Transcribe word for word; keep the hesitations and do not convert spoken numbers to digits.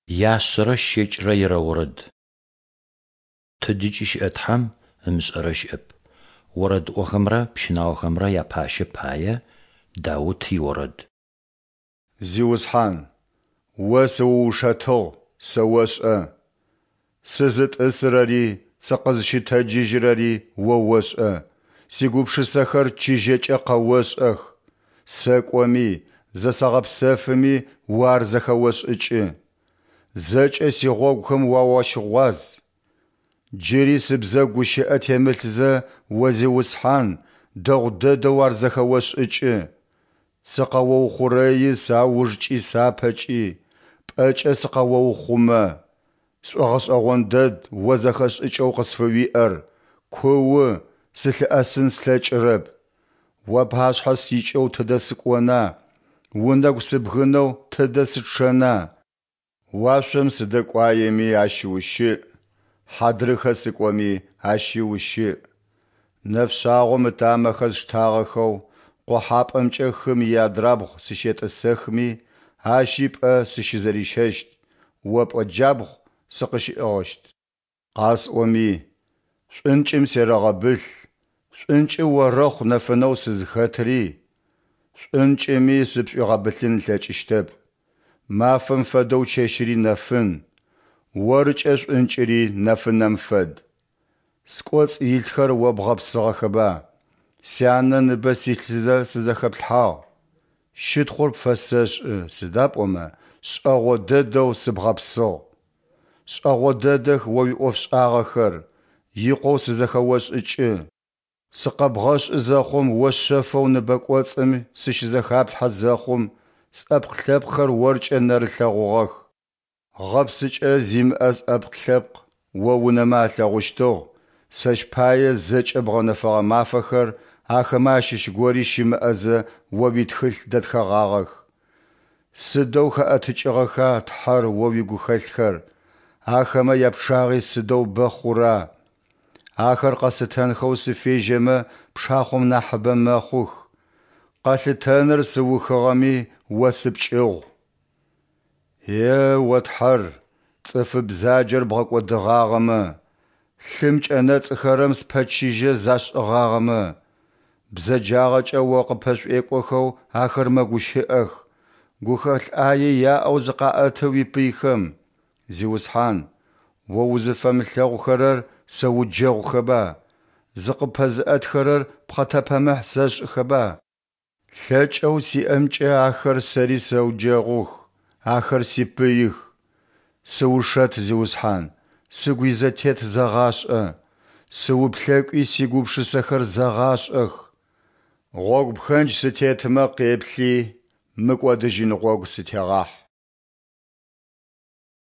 Яшъэрэ щэкӏрэ ирэ орэд. Тыдыкӏи щыӏэ Тхьэм ымышӏэрэ щыӏэп. Орэдыӏохэмрэ пщынаохэмрэ япащэ пае Даут иорэд. Зиусхьан, О сыуушэтыгъ, сэ ошӏэ. Сызытӏысырэри сыкъызщытэджыжьырэри О ошӏэ, сигупшысэхэр чыжьэкӏэ къэошӏэх. Сэкӏоми, зэсэгъэпсэфыми О ар зэхэошӏыкӏы. Зэкӏэ сигъогухэм О уащыгъуаз. Джыри сыбзэгу гущыӏэ темылъзэ, О Зиусхьан, дэгъу дэдэу ар зэхэошӏыкӏы. Сыкъэоухъурэи саужкӏи сапэкӏи, пӏэкӏэ сыкъэоухъумэ. Сшӏогъэшӏэгъон дэд О зэхэшӏыкӏэу къысфыуиӏэр, куу, сылъыӏэсын слъэкӏырэп. Уапашъхьэ сикӏэу тыдэ сыкӏона, унэгу сыбгынэу тыдэ сычъэна? Уашъом сыдэкӏуаеми, ащ ущыӏ, хьадрыхэ сыкӏоми, ащи ущыӏ. Нэфшъагъом ытамэхэр сштагъэхэу къохьапӏэмкӏэ хым иадрабгъу сыщетӏысэхми, ащи пӏэ сыщызэрищэщт, О пӏэ джабгъу сыкъыщиӏыгъыщт. Къасӏоми, шӏункӏым серэгъэбылъ, шӏункӏы орэхъу нэфынэу сызхэтри, шӏункӏыми сыпшӏуигъэбылъын ылъэкӏыщтэп. Мафэм фэдэу чэщыри нэфын, Оркӏэ шӏункӏыри нэфынэм фэд. Скӏоцӏ илъхэр О бгъэпсыгъэхэба, сянэ ныбэ силъызэ сызэхэплъхьагъ. Щытхъур пфэсэшӏы, сыда пӏомэ шӏэгъо дэдэу сыбгъэпсыгъ. Шӏэгъо дэдэх О уиӏофшӏагъэхэр, икъоу сызэхэошӏыкӏы. Сыкъэбгъэшӏы зэхъум О шъэфэу ныбэкӏоцӏым сыщызэхаплъхьэ зэхъум, сӏэпкъ-лъэпкъхэр Оркӏэ нэрылъэгъугъэх. Гъэпсыкӏэ зимыӏэ сӏэпкъ-лъэпкъ О унэмэ алъэгъущтыгъ, сэщ пае зэкӏэ бгъэнэфэгъэ мафэхэр ахэмэ ащыщ гори щымыӏэзэ О уитхылъ дэтхэгъагъэх. Сыдэу хэӏэтыкӏыгъэха, Тхьэр, О уигухэлъхэр, ахэмэ япчъагъи сыдэу бэ хъура! Ахэр къэслъытэнхэу сыфежьэмэ, пшахъом нахьыбэ мэхъух. Къэлъытэныр сыухыгъэми, О сыпкӏыгъу. Е о Тхьэр, цӏыфы бзаджэр бгъэкӏодыгъагъэмэ, лъым кӏэнэцӏыхэрэм спэчыжьэ зашӏыгъагъэмэ! Бзэджагъэкӏэ о къыппэшӏуекӏохэу ахэр мэгущыӏэх, гухэлъ ӏае яӏэу зыкъаӏэты уипыйхэм. Зиусхьан, о узыфэмылъэгъухэрэр сэуджэгъухэба, зыкъыппэзыӏэтхэрэр пхъэтэпэмыхь сэшӏыхэба? Лъэкӏэу сиӏэмкӏэ ахэр сэри сэуджэгъух, ахэр сипыих. Сыушэт, Зиусхьан, сыгу изэтет зэгъашӏэ, сыуплъэкӏуи сигупшысэхэр зэгъашӏэх. Гъогу пхэндж сытетмэ къеплъи, мыкӏодыжьын гъогу сытегъахь.